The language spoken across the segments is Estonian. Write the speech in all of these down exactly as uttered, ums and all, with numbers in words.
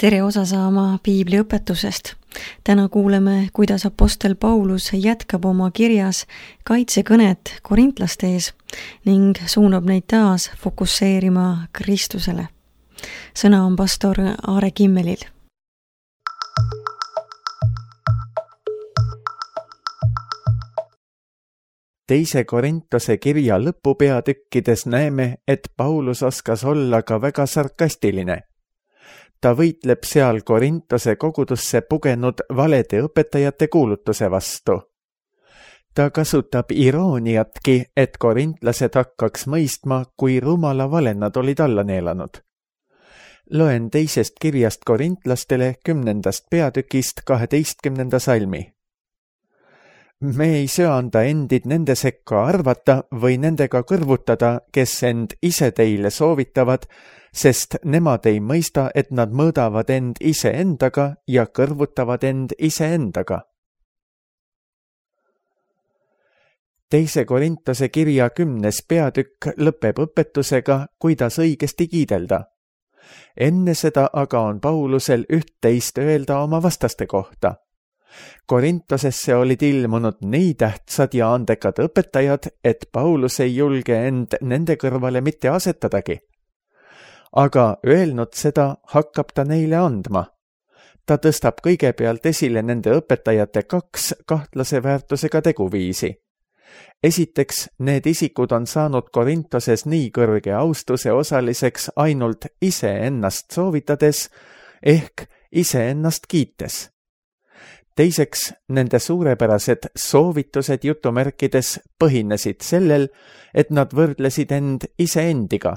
tere osa saama Piibli õpetusest. Täna kuuleme, kuidas apostel Paulus jätkab oma kirjas kaitsekõnet korintlaste ees ning suunab neid taas fokusseerima Kristusele. Sõna on pastor Aare Kimmelil. Teise Korintose kirja lõpupeatükkides näeme, et Paulus oskas olla ka väga sarkastiline. Ta võitleb seal Korintose kogudusse pugenud valede õpetajate kuulutuse vastu. Ta kasutab irooniatki, et korintlased hakkaks mõistma, kui rumala vale nad olid alla neelanud. Loen teisest kirjast korintlastele kümnendast peatükist kaheteistkümnenda salmi. Me ei söanda endid nende sekka arvata või nendega kõrvutada, kes end ise teile soovitavad, sest nemad ei mõista, et nad mõõdavad end ise endaga ja kõrvutavad end ise endaga. Teise Korintose kirja kümnes peatükk lõpeb õpetusega, kuidas õigesti kiidelda. Enne seda aga on Paulusel üht-teist öelda oma vastaste kohta. Korintosesse olid ilmunud nii tähtsad ja andekad õpetajad, et Paulus ei julge end nende kõrvale mitte asetadagi. Aga öelnud seda, hakkab ta neile andma. Ta tõstab kõigepealt esile nende õpetajate kaks kahtlase väärtusega teguviisi. Esiteks, need isikud on saanud Korintoses nii kõrge austuse osaliseks ainult iseennast soovitades ehk iseennast kiites. Teiseks, nende suurepärased soovitused jutumärkides põhinesid sellel, et nad võrdlesid end iseendiga.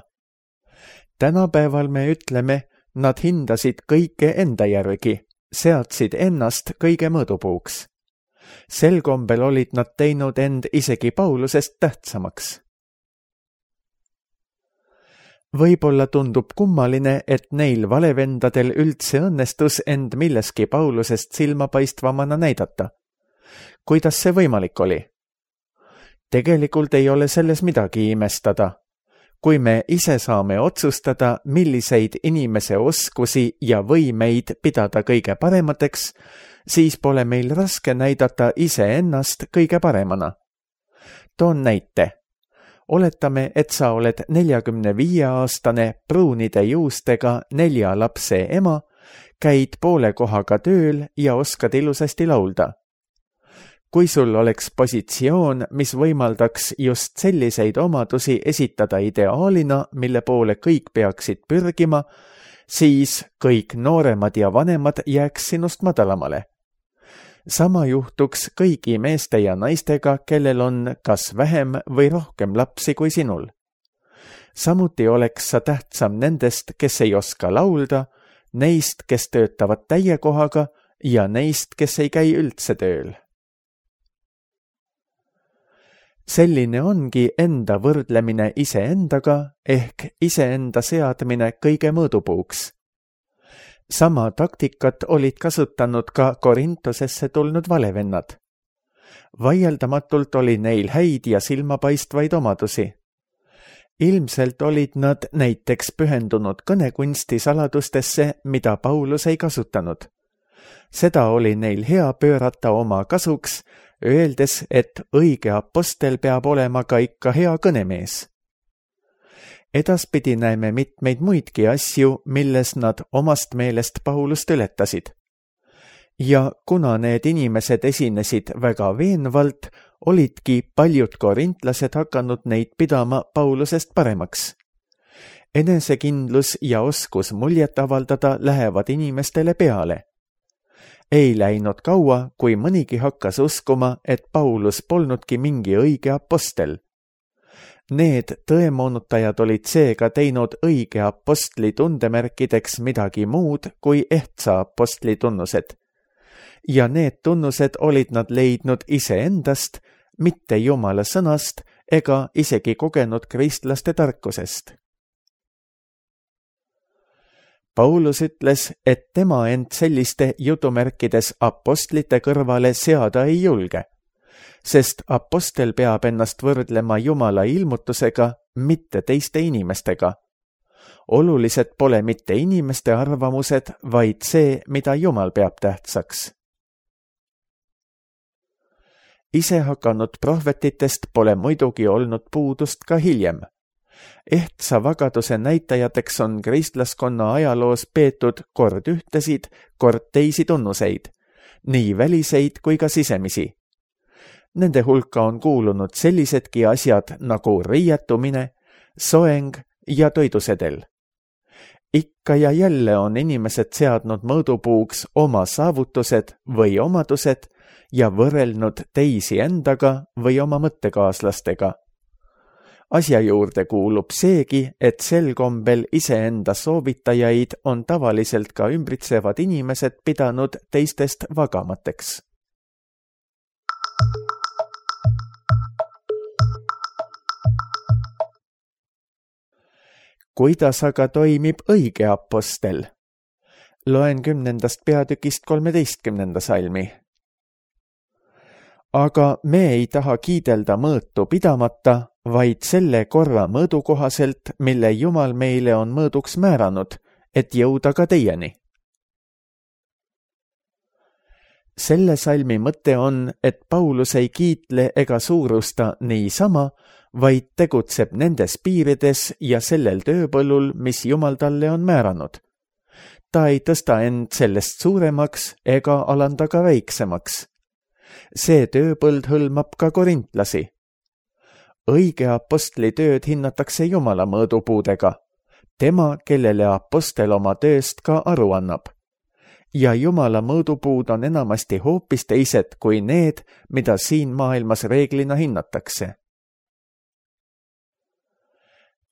Tänapäeval me ütleme, nad hindasid kõike enda järgi, seadsid ennast kõige mõõdupuuks. Sel kombel olid nad teinud end isegi Paulusest tähtsamaks. Võib-olla tundub kummaline, et neil valevendadel üldse õnnestus end milleski Paulusest silmapaistvamana näidata. Kuidas see võimalik oli? Tegelikult ei ole selles midagi imestada. Kui me ise saame otsustada, milliseid inimese oskusi ja võimeid pidada kõige paremateks, siis pole meil raske näidata iseennast kõige paremana. Toon näite. Oletame, et sa oled neljakümne viie aastane pruunide juustega nelja lapse ema, käid poole kohaga tööl ja oskad ilusasti laulda. Kui sul oleks positsioon, mis võimaldaks just selliseid omadusi esitada ideaalina, mille poole kõik peaksid pürgima, siis kõik nooremad ja vanemad jääks sinust madalamale. Sama juhtuks kõigi meeste ja naistega, kellel on kas vähem või rohkem lapsi kui sinul. Samuti oleks sa tähtsam nendest, kes ei oska laulda, neist, kes töötavad täie kohaga ja neist, kes ei käi üldse tööl. Selline ongi enda võrdlemine iseendaga ehk iseenda seadmine kõige mõõdupuuks. Sama taktikat olid kasutanud ka Korintosesse tulnud valevennad. Vaieldamatult oli neil häid ja silmapaistvaid omadusi. Ilmselt olid nad näiteks pühendunud kõnekunsti saladustesse, mida Paulus ei kasutanud. Seda oli neil hea pöörata oma kasuks, öeldes, et õige apostel peab olema ka ikka hea kõnemees. Edaspidi näeme mitmeid muidki asju, milles nad omast meelest Paulust ületasid. Ja kuna need inimesed esinesid väga veenvalt, olidki paljud korintlased hakanud neid pidama Paulusest paremaks. Enesekindlus ja oskus muljet avaldada lähevad inimestele peale. Ei läinud kaua, kui mõnigi hakkas uskuma, et Paulus polnudki mingi õige apostel. Need tõemoonutajad olid seega teinud õige apostli tundemärkideks midagi muud kui ehtsa apostli tunnused. Ja need tunnused olid nad leidnud iseendast, mitte Jumala sõnast ega isegi kogenud kristlaste tarkusest. Paulus ütles, et tema end selliste jutumärkides apostlite kõrvale seada ei julge, sest apostel peab ennast võrdlema Jumala ilmutusega, mitte teiste inimestega. olulised pole mitte inimeste arvamused, vaid see, mida Jumal peab tähtsaks. Ise hakanud prohvetitest pole muidugi olnud puudust ka hiljem. Ehtsa vagaduse näitajateks on kristlaskonna ajaloos peetud kord ühtesid, kord teisi tunnuseid, nii väliseid kui ka sisemisi. Nende hulka on kuulunud sellisedki asjad nagu riietumine, soeng ja toidusedel. Ikka ja jälle on inimesed seadnud mõõdupuuks oma saavutused või omadused ja võrrelnud teisi endaga või oma mõttekaaslastega. Asja juurde kuulub seegi, et sel kombel iseenda soovitajaid on tavaliselt ka ümbritsevad inimesed pidanud teistest vagamateks. Kuidas aga toimib õige apostel? Loen kümnendast peatükist kolmeteistkümnenda salmi. Aga me ei taha kiidelda mõõtu pidamata, vaid selle korra mõõdu kohaselt, mille Jumal meile on mõõduks määranud, et jõuda ka teieni. Selle salmi mõte on, et Paulus ei kiitle ega suurusta niisama, vaid tegutseb nendes piirides ja sellel tööpõllul, mis Jumal talle on määranud. Ta ei tõsta end sellest suuremaks ega alanda ka väiksemaks. See tööpõld hõlmab ka korintlasi. Õige apostli tööd hinnatakse Jumala mõõdupuudega, tema, kellele apostel oma tööst ka aru annab. Ja Jumala mõõdupuud on enamasti hoopis teised kui need, mida siin maailmas reeglina hinnatakse.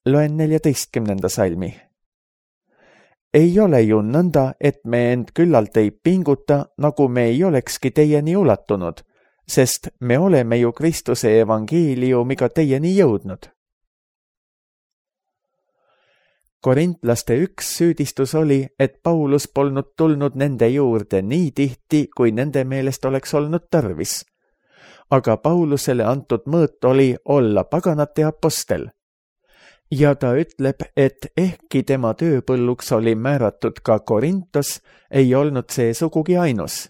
Loen neljateistkümnenda salmi. Ei ole ju nõnda, et me end küllalt ei pinguta, nagu me ei olekski teieni ulatunud, sest me oleme ju Kristuse evangeeliumiga teieni jõudnud. Korintlaste üks süüdistus oli, et Paulus polnud tulnud nende juurde nii tihti, kui nende meelest oleks olnud tarvis. Aga Paulusele antud mõõt oli olla paganate apostel. Ja ta ütleb, et ehkki tema tööpõlluks oli määratud ka Korintos, ei olnud see sugugi ainus.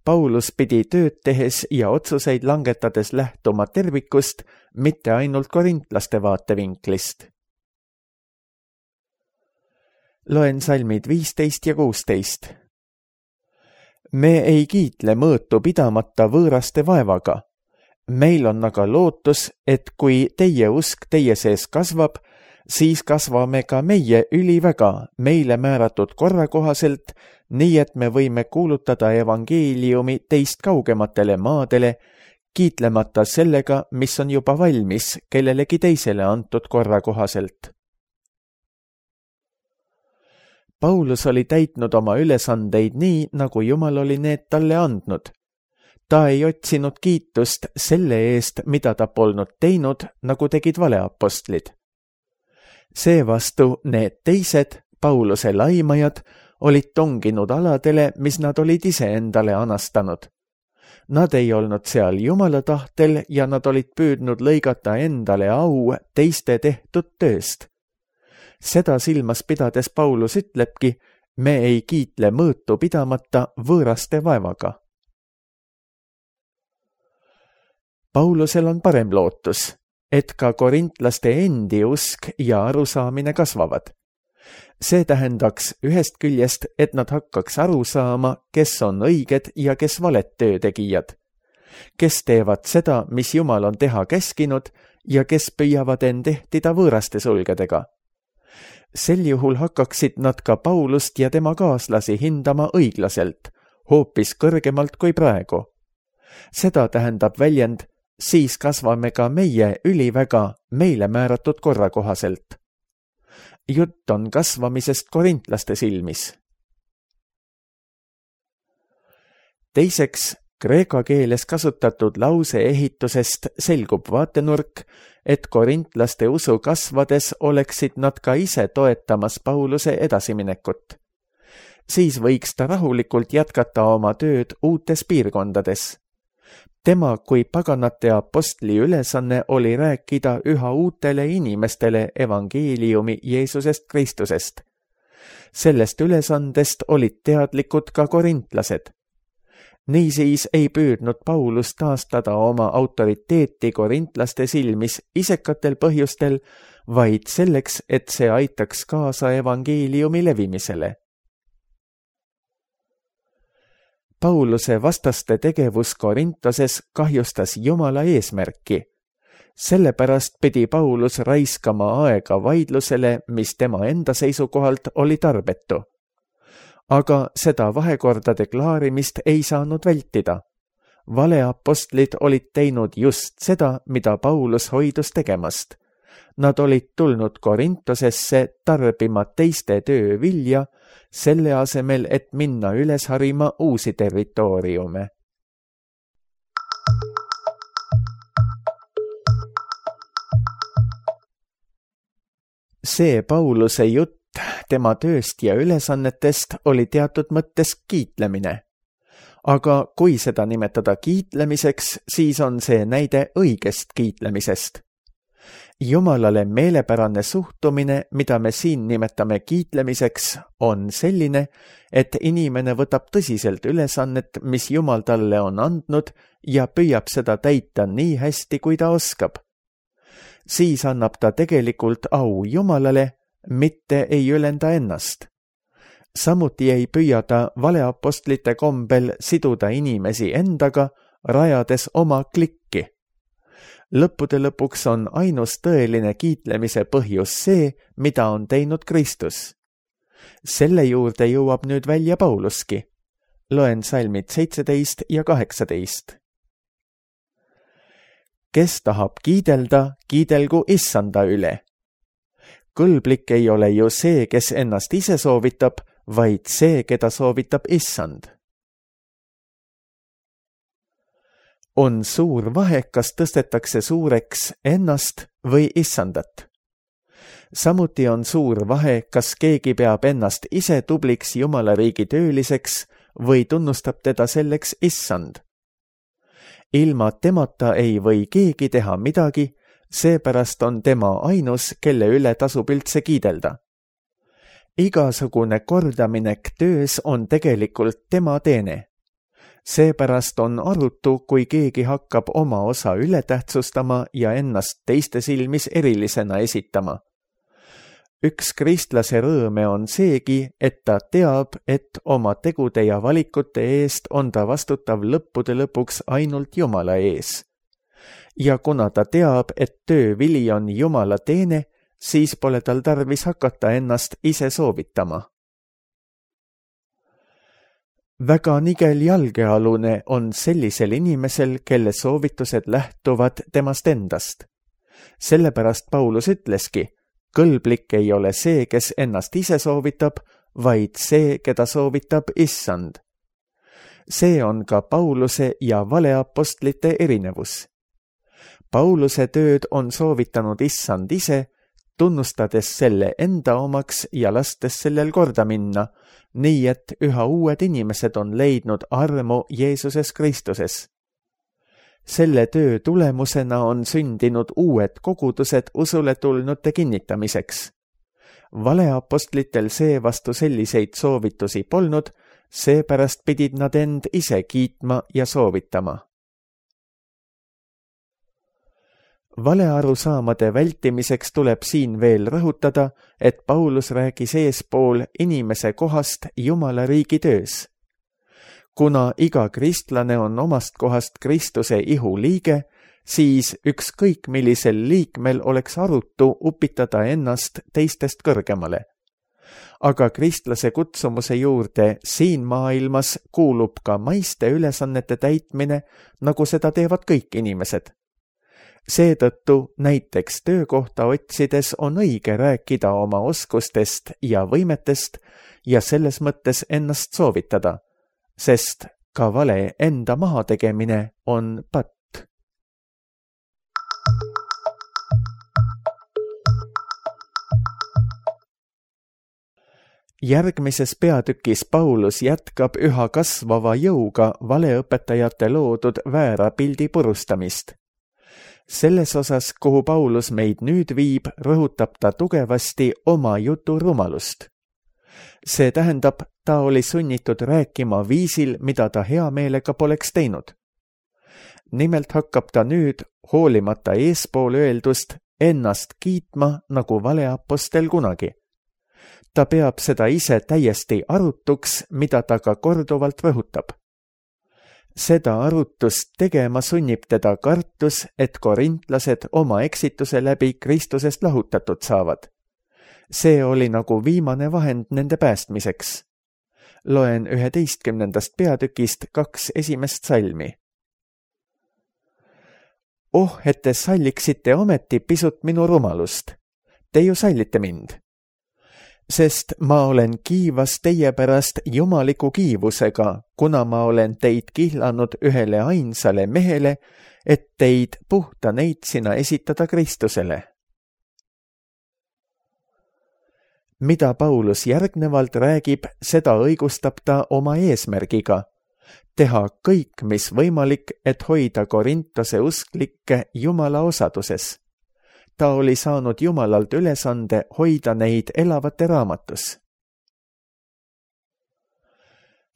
Paulus pidi tööd tehes ja otsuseid langetades lähtuma tervikust, mitte ainult korintlaste vaatevinklist. Loen salmid viisteist ja kuusteist. Me ei kiitle mõõtu pidamata võõraste vaevaga. Meil on aga lootus, et kui teie usk teie sees kasvab, siis kasvame ka meie üliväga meile määratud korra kohaselt, nii et me võime kuulutada evangeeliumi teist kaugematele maadele, kiitlemata sellega, mis on juba valmis kellelegi teisele antud korra kohaselt. Paulus oli täitnud oma ülesandeid nii, nagu Jumal oli need talle andnud. Ta ei otsinud kiitust selle eest, mida ta polnud teinud, nagu tegid valeapostlid. Seevastu need teised, Pauluse laimajad, olid tonginud aladele, mis nad olid ise endale anastanud. Nad ei olnud seal Jumala tahtel ja nad olid püüdnud lõigata endale au teiste tehtud tööst. Seda silmas pidades Paulus ütlebki, me ei kiitle mõõtu pidamata võõraste vaevaga. Paulusel on parem lootus, et ka korintlaste endi usk ja arusaamine kasvavad. See tähendaks ühest küljest, et nad hakkaks aru saama, kes on õiged ja kes valet töötegijad, kes teevad seda, mis Jumal on teha käskinud ja kes püüavad end ehtida võõraste sulgedega. Sel juhul hakkaksid nad ka Paulust ja tema kaaslasi hindama õiglaselt, hoopis kõrgemalt kui praegu. Seda tähendab väljend, siis kasvame ka meie üliväga meile määratud korra kohaselt. Jutt on kasvamisest korintlaste silmis. Teiseks, kreeka keeles kasutatud lause ehitusest selgub vaatenurk, et korintlaste usu kasvades oleksid nad ka ise toetamas Pauluse edasiminekut. Siis võiks ta rahulikult jätkata oma tööd uutes piirkondades. tema kui paganate apostli ülesanne oli rääkida üha uutele inimestele evangeeliumi Jeesusest Kristusest. Sellest ülesandest olid teadlikud ka korintlased. Niisiis ei püüdnud Paulus taastada oma autoriteeti korintlaste silmis isekatel põhjustel, vaid selleks, et see aitaks kaasa evangeeliumi levimisele. Pauluse vastaste tegevus Korintoses kahjustas Jumala eesmärki. Sellepärast pidi Paulus raiskama aega vaidlusele, mis tema enda seisukohalt oli tarbetu. Aga seda vahekordade klaarimist ei saanud vältida. Valeapostlid olid teinud just seda, mida Paulus hoidus tegemast. Nad olid tulnud Korintosesse tarbima teiste töö vilja, selle asemel, et minna üles harima uusi territooriume. See Pauluse jutt tema tööst ja ülesannetest oli teatud mõttes kiitlemine. Aga kui seda nimetada kiitlemiseks, siis on see näide õigest kiitlemisest. Jumalale meelepärane suhtumine, mida me siin nimetame kiitlemiseks, on selline, et inimene võtab tõsiselt ülesannet, mis Jumal talle on andnud ja püüab seda täita nii hästi, kui ta oskab. Siis annab ta tegelikult au Jumalale, mitte ei ülenda ennast. Samuti ei püüa ta valeapostlite kombel siduda inimesi endaga, rajades oma klikki. Lõppude lõpuks on ainus tõeline kiitlemise põhjus see, mida on teinud Kristus. Selle juurde jõuab nüüd välja Pauluski. Loen salmid seitseteist ja kaheksateist. Kes tahab kiidelda, kiidelgu issanda üle. Kõlblik ei ole ju see, kes ennast ise soovitab, vaid see, keda soovitab issand. On suur vahe, kas tõstetakse suureks ennast või issandat. Samuti on suur vahe, kas keegi peab ennast ise tubliks Jumala riigi tööliseks või tunnustab teda selleks issand. Ilma temata ei või keegi teha midagi, seepärast on tema ainus, kelle üle tasub üldse kiidelda. Igasugune kordaminek töös on tegelikult tema teene. Seepärast on arutu, kui keegi hakkab oma osa ületähtsustama ja ennast teiste silmis erilisena esitama. Üks kristlase rõõme on seegi, et ta teab, et oma tegude ja valikute eest on ta vastutav lõppude lõpuks ainult Jumala ees. Ja kuna ta teab, et töö vili on Jumala teene, siis pole tal tarvis hakata ennast ise soovitama. Väga nigel jalgealune on sellisel inimesel, kelle soovitused lähtuvad temast endast. Sellepärast Paulus ütleski, kõlblik ei ole see, kes ennast ise soovitab, vaid see, keda soovitab issand. See on ka Pauluse ja valeapostlite erinevus. Pauluse tööd on soovitanud issand ise, tunnustades selle enda omaks ja lastes sellel korda minna, nii et üha uued inimesed on leidnud armu Jeesuses Kristuses. Selle töö tulemusena on sündinud uued kogudused usule tulnute kinnitamiseks. Valeapostlitel seevastu selliseid soovitusi polnud, seepärast pidid nad end ise kiitma ja soovitama. Valearusaamade vältimiseks tuleb siin veel rõhutada, et Paulus räägis eespool inimese kohast Jumala riigi töös. Kuna iga kristlane on omast kohast Kristuse ihu liige, siis ükskõik millisel liikmel oleks arutu upitada ennast teistest kõrgemale. Aga kristlase kutsumuse juurde siin maailmas kuulub ka maiste ülesannete täitmine, nagu seda teevad kõik inimesed. Seetõttu näiteks töökohta otsides on õige rääkida oma oskustest ja võimetest ja selles mõttes ennast soovitada, sest ka vale enda mahategemine on patt. järgmises peatükis Paulus jätkab üha kasvava jõuga valeõpetajate loodud väära pildi purustamist. Selles osas, kuhu Paulus meid nüüd viib, rõhutab ta tugevasti oma jutu rumalust. See tähendab, ta oli sunnitud rääkima viisil, mida ta hea meelega poleks teinud. Nimelt hakkab ta nüüd, hoolimata eespool öeldust, ennast kiitma nagu valeapostel kunagi. Ta peab seda ise täiesti arutuks, mida ta ka korduvalt rõhutab. Seda arutust tegema sunnib teda kartus, et korintlased oma eksituse läbi Kristusest lahutatud saavad. See oli nagu viimane vahend nende päästmiseks. Loen üheteistkümnendast peatükist kaks esimest salmi. Oh, et te salliksite ometi pisut minu rumalust. Te ju sallite mind. Sest ma olen kiivas teie pärast jumaliku kiivusega, kuna ma olen teid kihlanud ühele ainsale mehele, et teid puhta neitsina esitada Kristusele. Mida Paulus järgnevalt räägib, seda õigustab ta oma eesmärgiga. Teha kõik, mis võimalik, et hoida Korintose usklikke Jumala osaduses. Ta oli saanud Jumalalt ülesande hoida neid elavate raamatus.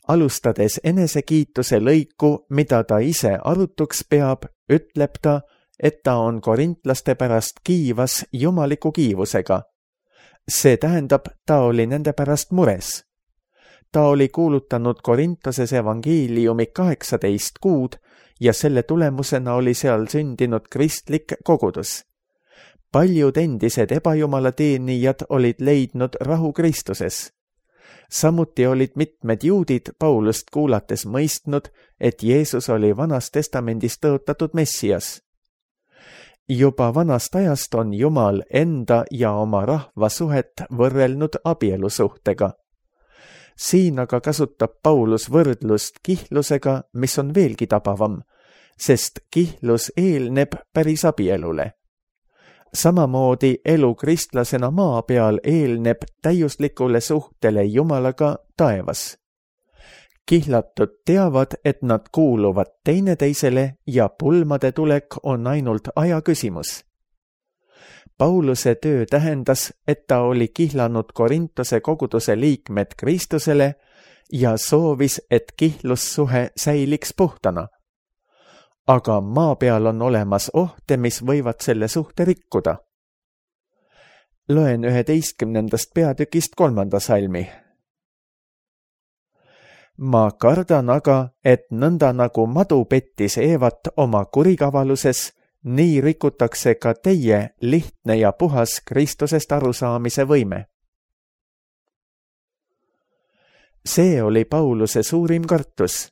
Alustades enesekiituse lõiku, mida ta ise arutuks peab, ütleb ta, et ta on korintlaste pärast kiivas jumaliku kiivusega. See tähendab, ta oli nende pärast mures. Ta oli kuulutanud Korintoses evangeeliumi kaheksateist kuud ja selle tulemusena oli seal sündinud kristlik kogudus. Paljud endised ebajumalateenijad olid leidnud rahu Kristuses. Samuti olid mitmed juudid Paulust kuulates mõistnud, et Jeesus oli Vanas Testamendis tõotatud Messias. Juba vanast ajast on Jumal enda ja oma rahva suhet võrrelnud abielusuhtega. Siin aga kasutab Paulus võrdlust kihlusega, mis on veelgi tabavam, sest kihlus eelneb päris abielule. Samamoodi elu kristlasena maa peal eelneb täiuslikule suhtele Jumalaga taevas. Kihlatud teavad, et nad kuuluvad teineteisele ja pulmade tulek on ainult aja küsimus. Pauluse töö tähendas, et ta oli kihlanud Korintose koguduse liikmed Kristusele ja soovis, et kihlussuhe säiliks puhtana. Aga maa peal on olemas ohte, mis võivad selle suhte rikkuda. Loen üheteistkümnendast peatükist kolmanda salmi. Ma kardan aga, et nõnda nagu madu pettis Eevat oma kurikavaluses, nii rikutakse ka teie lihtne ja puhas Kristusest arusaamise võime. See oli Pauluse suurim kartus.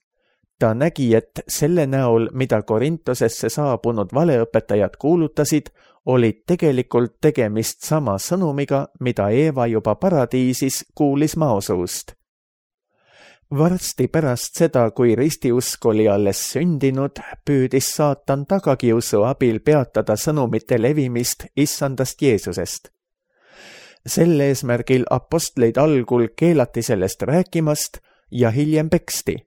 Ta nägi, et selle näol, mida Korintosesse saabunud valeõpetajad kuulutasid, olid tegelikult tegemist sama sõnumiga, mida Eeva juba paradiisis kuulis maosuust. Varsti pärast seda, kui ristiusk oli alles sündinud, püüdis saatan tagakiusu abil peatada sõnumite levimist issandast Jeesusest. Sel eesmärgil apostleid algul keelati sellest rääkimast ja hiljem peksti.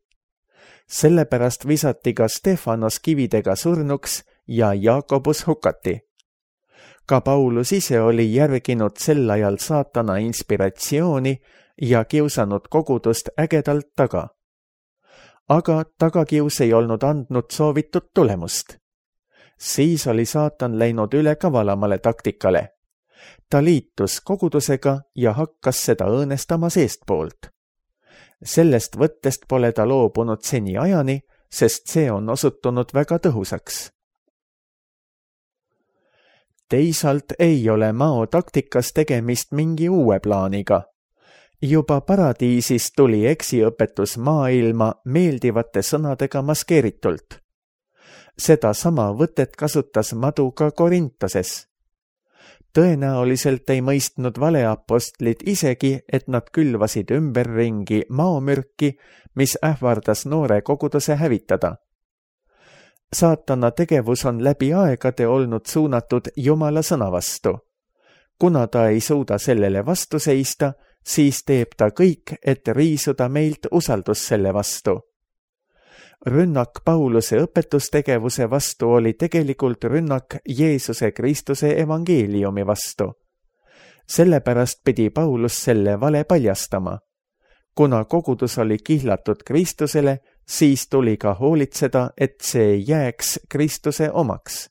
Sellepärast visati ka Stefanos kividega surnuks ja Jaakobus hukati. Ka Paulus ise oli järginud sel ajal saatana inspiratsiooni ja kiusanud kogudust ägedalt taga. Aga tagakius ei olnud andnud soovitud tulemust. Siis oli saatan läinud üle kavalamale taktikale. Ta liitus kogudusega ja hakkas seda õõnestama seestpoolt. Sellest võttest pole ta loobunud seni ajani, sest see on osutunud väga tõhusaks. Teisalt ei ole Mao taktikas tegemist mingi uue plaaniga. Juba paradiisis tuli eksiõpetus maailma meeldivate sõnadega maskeeritult. Seda sama võtet kasutas madu ka Korintoses. Tõenäoliselt ei mõistnud valeapostlid isegi, et nad külvasid ümberringi maomürki, mis ähvardas noore koguduse hävitada. Saatana tegevus on läbi aegade olnud suunatud Jumala sõna vastu. Kuna ta ei suuda sellele vastu seista, siis teeb ta kõik, et riisuda meilt usaldus selle vastu. Rünnak Pauluse õpetustegevuse vastu oli tegelikult rünnak Jeesuse Kristuse evangeeliumi vastu. Sellepärast pidi Paulus selle vale paljastama. Kuna kogudus oli kihlatud Kristusele, siis tuli ka hoolitseda, et see jääks Kristuse omaks.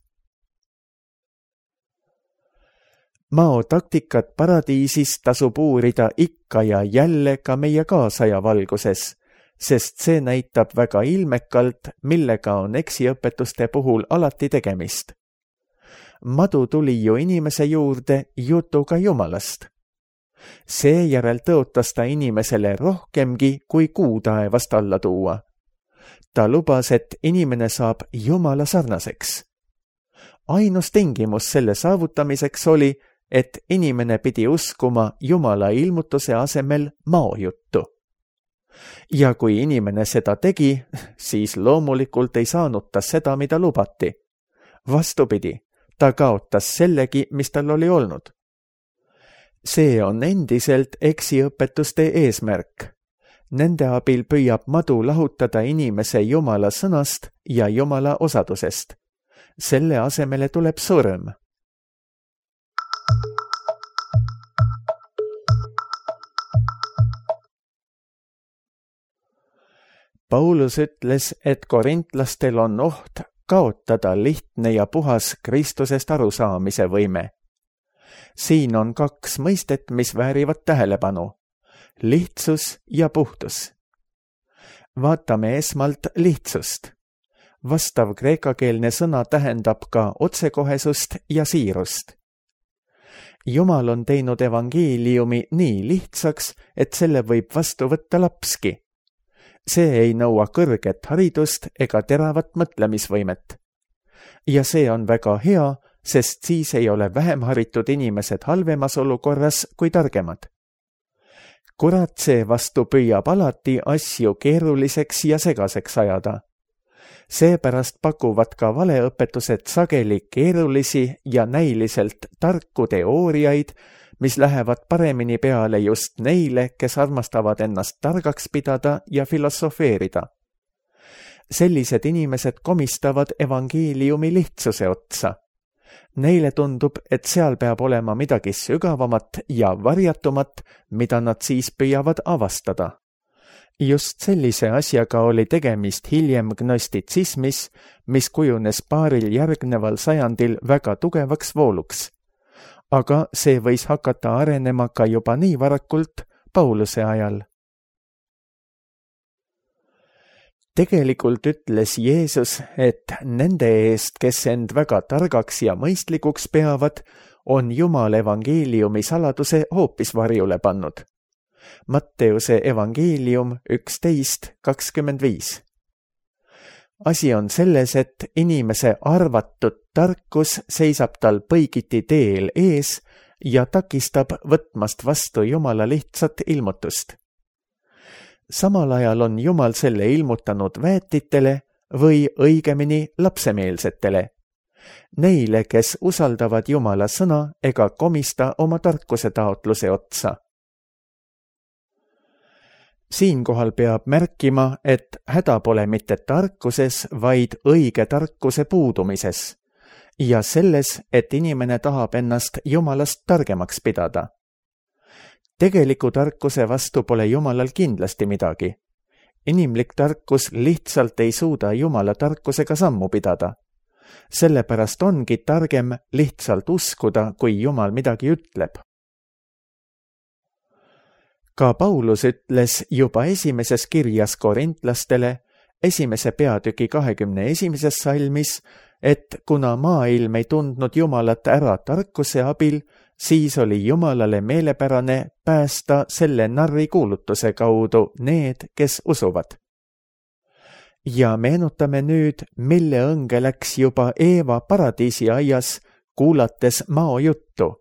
Mao taktikat paradiisis tasub uurida ikka ja jälle ka meie kaasaja valguses, sest see näitab väga ilmekalt, millega on eksiõpetuste puhul alati tegemist. Madu tuli ju inimese juurde jutuga Jumalast. Seejärel tõotas ta inimesele rohkemgi kui kuu taevast alla tuua. Ta lubas, et inimene saab Jumala sarnaseks. Ainus tingimus selle saavutamiseks oli, et inimene pidi uskuma Jumala ilmutuse asemel Mao juttu. Ja kui inimene seda tegi, siis loomulikult ei saanud ta seda, mida lubati. Vastupidi, ta kaotas sellegi, mis tal oli olnud. See on endiselt eksiõpetuste eesmärk. Nende abil püüab madu lahutada inimese Jumala sõnast ja Jumala osadusest. Selle asemele tuleb surm. Paulus ütles, et korintlastel on oht kaotada lihtne ja puhas Kristusest arusaamise võime. Siin on kaks mõistet, mis väärivad tähelepanu. Lihtsus ja puhtus. Vaatame esmalt lihtsust. Vastav kreekakeelne sõna tähendab ka otsekohesust ja siirust. Jumal on teinud evangeeliumi nii lihtsaks, et selle võib vastu võtta lapski. See ei nõua kõrget haridust ega teravat mõtlemisvõimet. Ja see on väga hea, sest siis ei ole vähem haritud inimesed halvemas olukorras kui targemad. Kurat seevastu püüab alati asju keeruliseks ja segaseks ajada. Seepärast pakuvad ka valeõpetused sageli keerulisi ja näiliselt tarku teooriaid, mis lähevad paremini peale just neile, kes armastavad ennast targaks pidada ja filosofeerida. Sellised inimesed komistavad evangeeliumi lihtsuse otsa. Neile tundub, et seal peab olema midagi sügavamat ja varjatumat, mida nad siis püüavad avastada. Just sellise asjaga oli tegemist hiljem gnostitsismis, mis kujunes paaril järgneval sajandil väga tugevaks vooluks. Aga see võis hakata arenema ka juba nii varakult Pauluse ajal. Tegelikult ütles Jeesus, et nende eest, kes end väga targaks ja mõistlikuks peavad, on Jumal evangeeliumi saladuse hoopis varjule pannud. Matteuse evangeelium üksteist kakskümmend viis. Asi on selles, et inimese arvatud tarkus seisab tal põigiti teel ees ja takistab võtmast vastu Jumala lihtsat ilmutust. Samal ajal on Jumal selle ilmutanud väetitele või õigemini lapsemeelsetele. Neile, kes usaldavad Jumala sõna ega komista oma tarkuse taotluse otsa. Siinkohal peab märkima, et häda pole mitte tarkuses, vaid õige tarkuse puudumises ja selles, et inimene tahab ennast Jumalast targemaks pidada. Tegeliku tarkuse vastu pole Jumalal kindlasti midagi. Inimlik tarkus lihtsalt ei suuda Jumala tarkusega sammu pidada. Sellepärast ongi targem lihtsalt uskuda, kui Jumal midagi ütleb. Ka Paulus ütles juba esimeses kirjas korintlastele, esimese peatüki kahekümne esimeses salmis, et kuna maailm ei tundnud Jumalat ära tarkuse abil, siis oli Jumalale meelepärane päästa selle narri kuulutuse kaudu need, kes usuvad. Ja meenutame nüüd, mille õnge läks juba Eeva paradiisi aias, kuulates Mao juttu.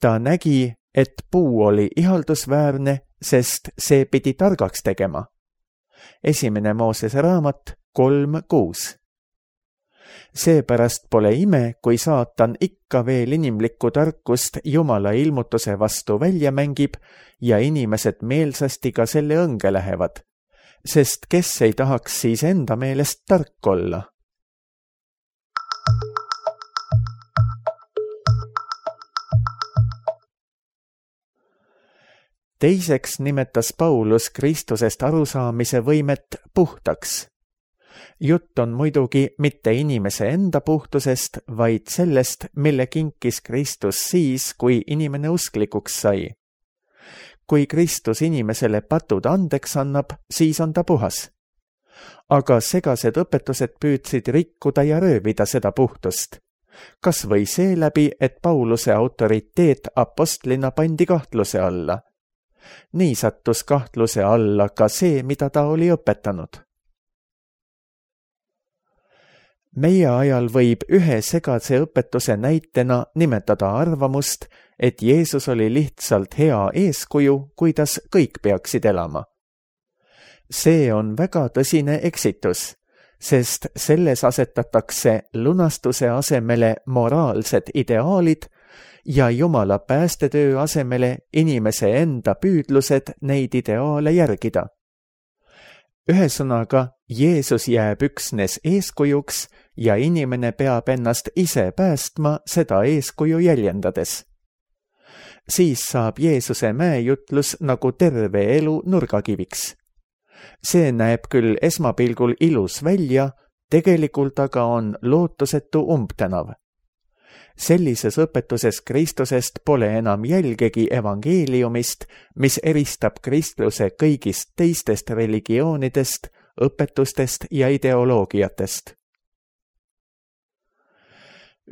Ta nägi, et puu oli ihaldusväärne, sest see pidi targaks tegema. Esimene Moosese raamat kolm kuus. Seepärast pole ime, kui saatan ikka veel inimlikku tarkust Jumala ilmutuse vastu välja mängib ja inimesed meelsasti ka selle õnge lähevad, sest kes ei tahaks siis enda meelest tark olla? Teiseks nimetas Paulus Kristusest arusaamise võimet puhtaks. Jutt on muidugi mitte inimese enda puhtusest, vaid sellest, mille kinkis Kristus siis, kui inimene usklikuks sai. Kui Kristus inimesele patud andeks annab, siis on ta puhas. Aga segased õpetused püüdsid rikkuda ja röövida seda puhtust. Kas või seeläbi, et Pauluse autoriteet apostlina pandi kahtluse alla. Nii sattus kahtluse alla ka see, mida ta oli õpetanud. Meie ajal võib ühe segase õpetuse näitena nimetada arvamust, et Jeesus oli lihtsalt hea eeskuju, kuidas kõik peaksid elama. See on väga tõsine eksitus, sest selles asetatakse lunastuse asemele moraalsed ideaalid ja Jumala päästetöö asemele inimese enda püüdlused neid ideaale järgida. Ühesõnaga, Jeesus jääb üksnes eeskujuks ja inimene peab ennast ise päästma seda eeskuju jäljendades. Siis saab Jeesuse mäejutlus nagu terve elu nurgakiviks. See näeb küll esmapilgul ilus välja, tegelikult aga on lootusetu umbtänav. Sellises õpetuses Kristusest pole enam jälgegi evangeeliumist, mis eristab Kristuse kõigist teistest religioonidest, õpetustest ja ideoloogiatest.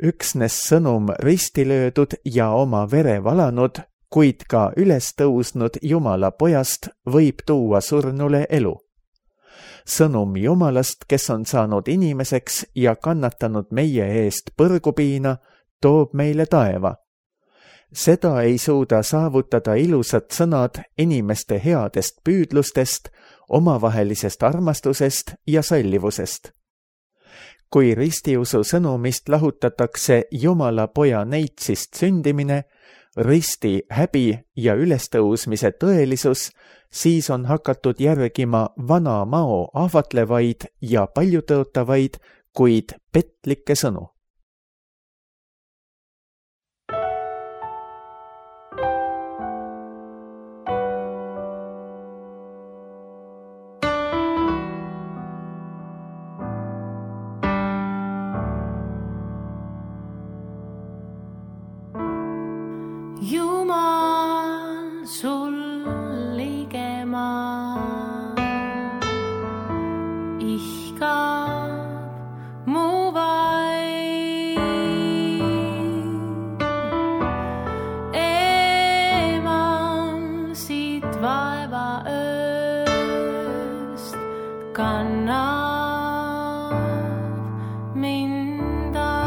Üksnes sõnum ristilöödud ja oma vere valanud, kuid ka üles tõusnud Jumala pojast võib tuua surnule elu. Sõnum Jumalast, kes on saanud inimeseks ja kannatanud meie eest põrgupiina, toob meile taeva. Seda ei suuda saavutada ilusad sõnad inimeste headest püüdlustest, omavahelisest armastusest ja sallivusest. Kui ristiusu sõnumist lahutatakse Jumala poja neitsist sündimine, risti häbi ja ülestõusmise tõelisus, siis on hakatud järgima vana mao ahvatlevaid ja paljutõotavaid, kuid petlikke sõnu. Jumal sul ligemal ihkab mu vaid. Eemal siit vaeva ööst kannab mind aid.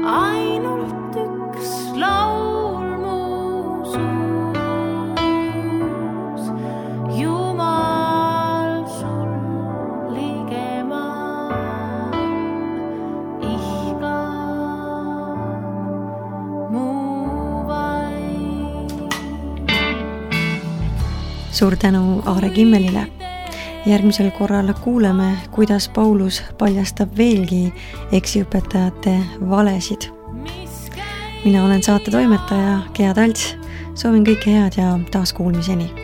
Ainult üks laul mu suus, Jumal sul ligemal ihkab mu vaid. Suur tänu Aare Kimmelile. Järgmisel korral kuuleme, kuidas Paulus paljastab veelgi eksiõpetajate valesid. Mina olen saate toimetaja Gea Talts. Soovin kõike head ja taas kuulmiseni.